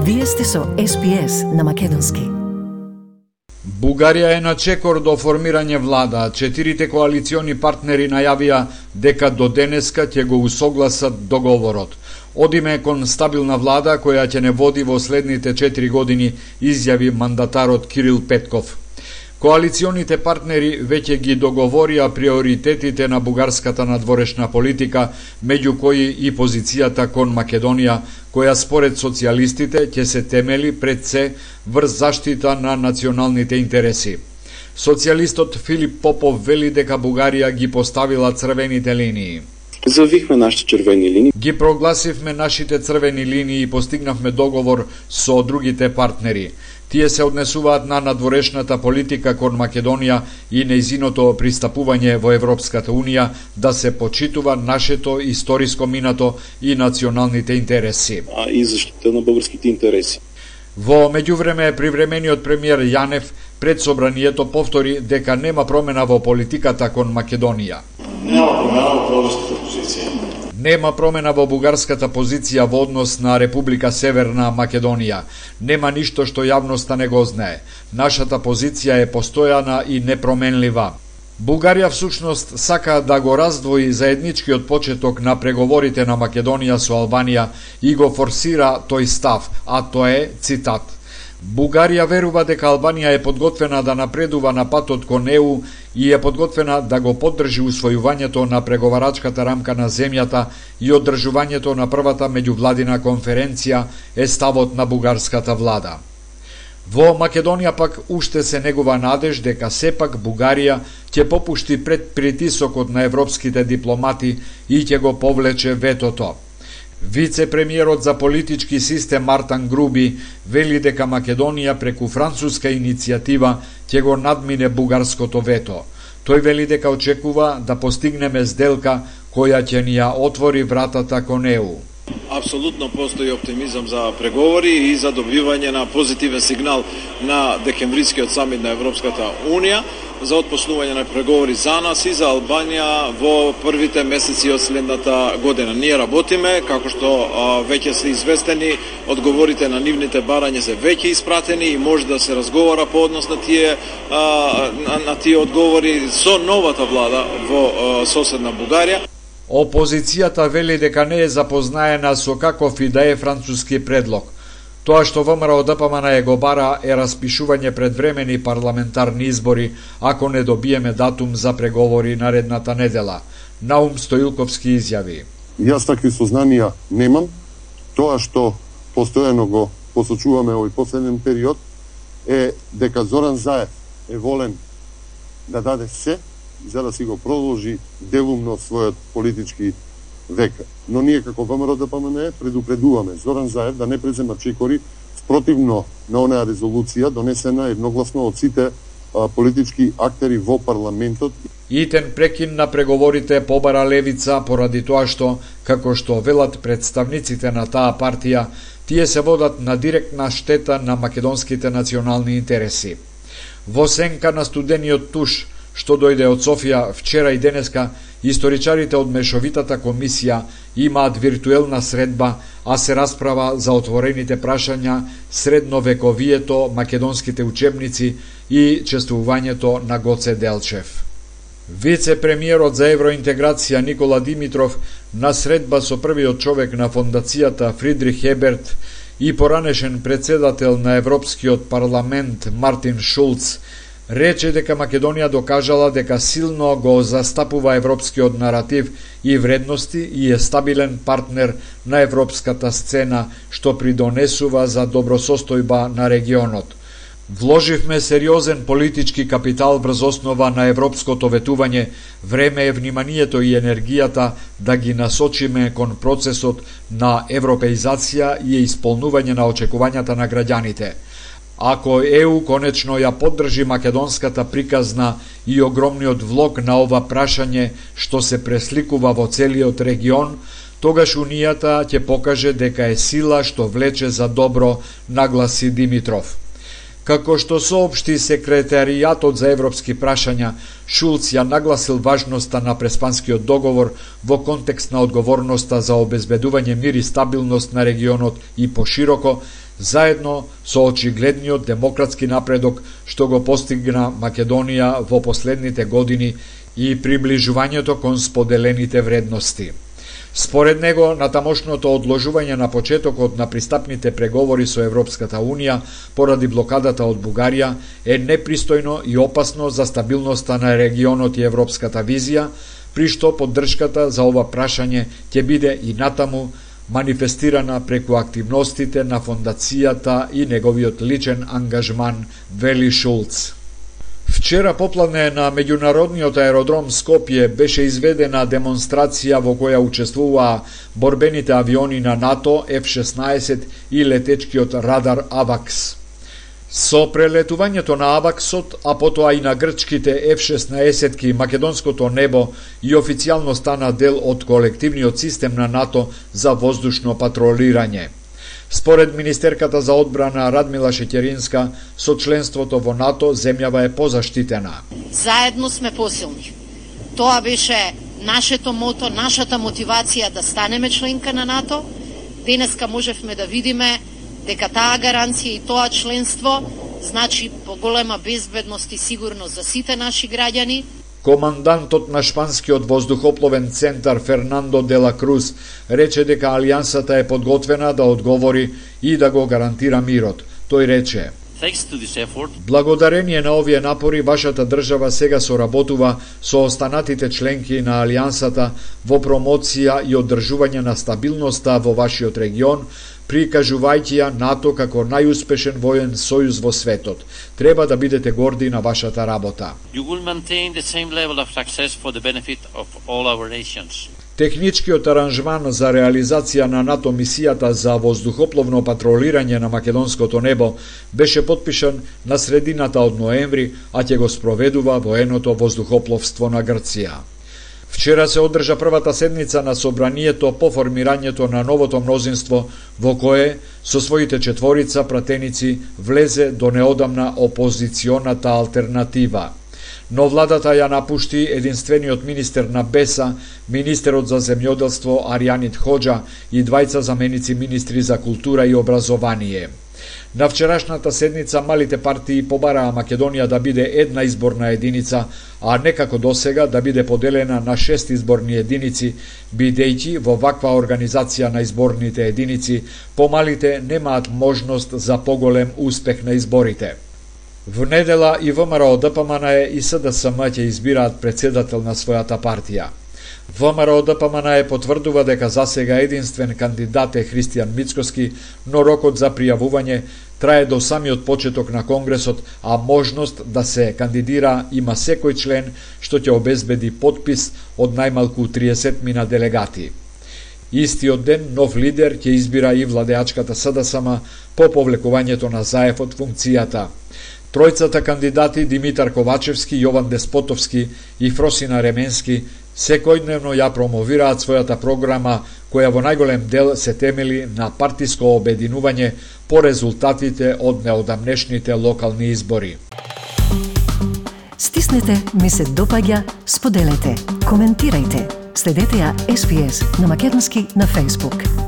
Вие сте со SPS на македонски. Бугарија е на чекор до формирање влада. 4 коалициони партнери најавија дека до денеска ќе го усогласат договорот. Одиме кон стабилна влада која ќе не води во следните 4 години, изјави мандатарот Кирил Петков. Коалиционите партнери веќе ги договорија приоритетите на бугарската надворешна политика, меѓу кои и позицијата кон Македонија, која според социјалистите ќе се темели пред се врз заштита на националните интереси. Социјалистот Филип Попов вели дека Бугарија ги поставила црвените линии. Завихме нашите червени линии. Ги прогласивме нашите црвени линии и постигнавме договор со другите партнери. Тие се однесуваат на надворешната политика кон Македонија и нејзиното пристапување во Европската Унија, да се почитува нашето историско минато и националните интереси. И заштита на българските интереси. Во меѓувреме, привремениот премиер Јанев пред собранието повтори дека нема промена во политиката кон Македонија. Нема промена во бугарската позиција во однос на Република Северна Македонија. Нема ништо што јавноста не го знае. Нашата позиција е постојана и непроменлива. Бугарија всушност сака да го раздвои заедничкиот почеток на преговорите на Македонија со Албанија и го форсира тој став, а тоа е цитат: Бугарија верува дека Албанија е подготвена да напредува на патот кон ЕУ и е подготвена да го поддржи усвојувањето на преговарачката рамка на земјата и одржувањето на првата меѓувладина конференција, е ставот на бугарската влада. Во Македонија пак уште се негува надеж дека сепак Бугарија ќе попушти пред притисокот на европските дипломати и ќе го повлече ветото. Вице-премиерот за политички систем Мартан Груби вели дека Македонија преку француска иницијатива ќе го надмине бугарското вето. Тој вели дека очекува да постигнеме сделка која ќе ни ја отвори вратата кон ЕУ. Апсолутно постои оптимизам за преговори и за добивање на позитивен сигнал на декемврискиот самит на Европската Унија за отпочнување на преговори за нас и за Албанија во првите месеци од следната година. Ние работиме, како што веќе се известени, одговорите на нивните барања се веќе испратени и може да се разговара по однос на тие одговори со новата влада во соседна Бугарија. Опозицијата вели дека не е запознаена со каков и да е француски предлог. Тоа што ВМРО ДПМН го бара е распишување предвремени парламентарни избори, ако не добиеме датум за преговори наредната недела. Наум Стоилковски изјави: Јас такви сознанија немам. Тоа што постојано го посочуваме овој последен период е дека Зоран Заев е волен да даде се за да си го продолжи делумно својот политички век. Но ние како ВМРО ДПМН предупредуваме Зоран Заев да не презема чекори спротивно на онаа резолуција донесена едногласно од сите политички актери во парламентот. Итен прекин на преговорите побара левица поради тоа што, како што велат представниците на таа партија, тие се водат на директна штета на македонските национални интереси. Во сенка на студениот туш што дојде од Софија вчера и денеска, историчарите од Мешовитата комисија имаат виртуелна средба, а се расправа за отворените прашања, средновековието, македонските учебници и чествувањето на Гоце Делчев. Вице-премиерот за евроинтеграција Никола Димитров на средба со првиот човек на фондацијата Фридрих Еберт и поранешен председател на Европскиот парламент Мартин Шулц рече дека Македонија докажала дека силно го застапува европскиот наратив и вредности и е стабилен партнер на европската сцена, што придонесува за добросостојба на регионот. Вложивме сериозен политички капитал врз основа на европското ветување, време е вниманието и енергијата да ги насочиме кон процесот на европеизација и исполнување на очекувањата на граѓаните. Ако ЕУ конечно ја поддржи македонската приказна и огромниот влог на ова прашање што се пресликува во целиот регион, тогаш Унијата ќе покаже дека е сила што влече за добро, нагласи Димитров. Како што соопшти секретаријатот за европски прашања, Шулц ја нагласил важноста на Преспанскиот договор во контекст на одговорноста за обезбедување мир и стабилност на регионот и пошироко, заедно со очигледниот демократски напредок што го постигна Македонија во последните години и приближувањето кон споделените вредности. Според него, натамошното одложување на почетокот на пристапните преговори со Европската Унија поради блокадата од Бугарија е непристојно и опасно за стабилноста на регионот и европската визија, при што поддршката за ова прашање ќе биде и натаму манифестирана преку активностите на фондацијата и неговиот личен ангажман, вели Шулц. Вчера попладне на меѓународниот аеродром Скопје беше изведена демонстрација во која учествуваа борбените авиони на НАТО F-16 и летечкиот радар Авакс. Со прелетувањето на Аваксот, а потоа и на грчките F-16-ки, македонското небо и официјално стана дел од колективниот систем на НАТО за воздушно патролирање. Според министерката за одбрана Радмила Шеќеринска, со членството во НАТО земјава е позаштитена. Заедно сме посилни. Тоа беше нашето мото, нашата мотивација да станеме членка на НАТО. Денеска можевме да видиме дека таа гаранција и тоа членство значи поголема безбедност и сигурност за сите наши граѓани. Командантот на шпанскиот воздухопловен центар Фернандо де ла Круз рече дека алијансата е подготвена да одговори и да го гарантира мирот. Тој рече: благодарение на овие напори, вашата држава сега соработува со останатите членки на алијансата во промоција и одржување на стабилноста во вашиот регион, прикажувајќи ја НАТО како најуспешен воен сојуз во светот. Треба да бидете горди на вашата работа. Техничкиот аранжман за реализација на НАТО мисијата за воздухопловно патролирање на македонското небо беше потпишан на средината од ноември, а ќе го спроведува военото воздухопловство на Грција. Вчера се одржа првата седница на собранието по формирањето на новото мнозинство, во кое со своите четворица пратеници влезе до неодамна опозиционата алтернатива. Но владата ја напушти единствениот министер на БЕСА, министерот за земјоделство Аријанит Хоџа и двајца заменици министри за култура и образование. На вчерашната седница малите партии побараа Македонија да биде една изборна единица, а не како досега да биде поделена на 6 изборни единици, бидејќи во ваква организација на изборните единици помалите немаат можност за поголем успех на изборите. Во недела и ВМРО ДПМН и СДСМ ќе избираат председател на својата партија. ВМРО ДПМН потврдува дека засега единствен кандидат е Христијан Мицкоски, но рокот за пријавување трае до самиот почеток на Конгресот, а можност да се кандидира има секој член, што ќе обезбеди подпис од најмалку 30 делегати. Истиот ден нов лидер ќе избира и владеачката СДСМ по повлекувањето на Заев од функцијата. Тројцата кандидати Димитар Ковачевски, Јован Деспотовски и Фросина Ременски секојдневно ја промовираат својата програма, која во најголем дел се темели на партиско обединување по резултатите од неодамнешните локални избори. Стиснете, ми се допаѓа, споделете, коментирајте. Следете ја SPS на македонски на Facebook.